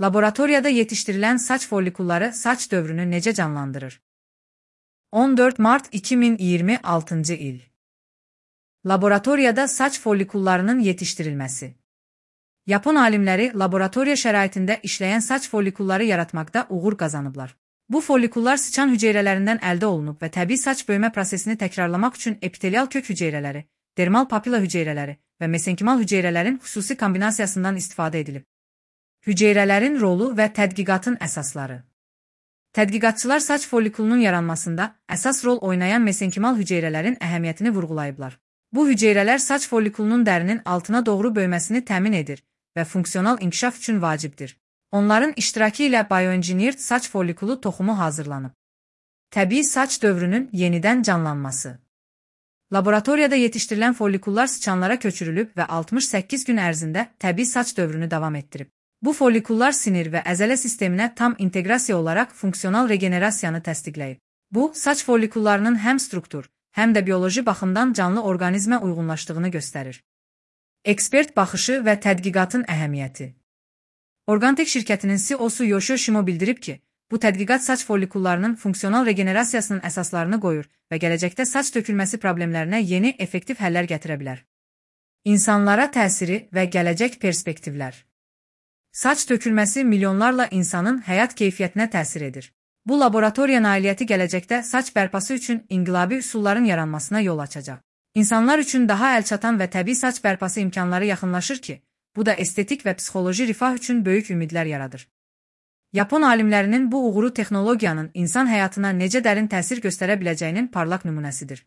Laboratoriyada yetiştirilen saç follikulları saç dövrünü necə canlandırır? 14 Mart 2026 il. Laboratoriyada saç follikullarının yetiştirilməsi. Yapon alimləri laboratoriya şəraitində işləyən saç follikulları yaratmaqda uğur qazanıblar. Bu follikullar sıçan hüceyrələrindən əldə olunub və təbii saç böyümə prosesini təkrarlamaq üçün epitelial kök hüceyrələri, dermal papilla hüceyrələri və mesenkimal hüceyrələrin xüsusi kombinasiyasından istifadə edilib. Hüceyrələrin rolu və tədqiqatın əsasları. Tədqiqatçılar saç follikulunun yaranmasında əsas rol oynayan mesenkimal hüceyrələrin əhəmiyyətini vurğulayıblar. Bu hüceyrələr saç follikulunun dərinin altına doğru böyüməsini təmin edir və funksional inkişaf üçün vacibdir. Onların iştirakı ilə bioengineered saç follikulu toxumu hazırlanıb. Təbii saç dövrünün yenidən canlanması. Laboratoriyada yetişdirilən follikullar sıçanlara köçürülüb və 68 gün ərzində təbii saç dövrünü davam etdirib. Bu follikullar sinir və əzələ sisteminə tam inteqrasiya olaraq funksional regenerasiyanı təsdiqləyib. Bu, saç follikullarının həm struktur, həm də bioloji baxımdan canlı orqanizmə uyğunlaşdığını göstərir. Ekspert baxışı və tədqiqatın əhəmiyyəti. Organtek şirkətinin CEO-su Yoshio bildirib ki, bu tədqiqat saç follikullarının funksional regenerasiyasının əsaslarını qoyur və gələcəkdə saç tökülməsi problemlərinə yeni, effektiv həllər gətirə bilər. İnsanlara təsiri və gələcək perspektivlər. Saç tökülməsi milyonlarla insanın həyat keyfiyyətinə təsir edir. Bu laboratoriya nailiyyəti gələcəkdə saç bərpası üçün inqilabi üsulların yaranmasına yol açacaq. İnsanlar üçün daha əlçatan və təbii saç bərpası imkanları yaxınlaşır ki, bu da estetik və psixoloji rifah üçün böyük ümidlər yaradır. Yapon alimlərinin bu uğuru texnologiyanın insan həyatına necə dərin təsir göstərə biləcəyinin parlaq nümunəsidir.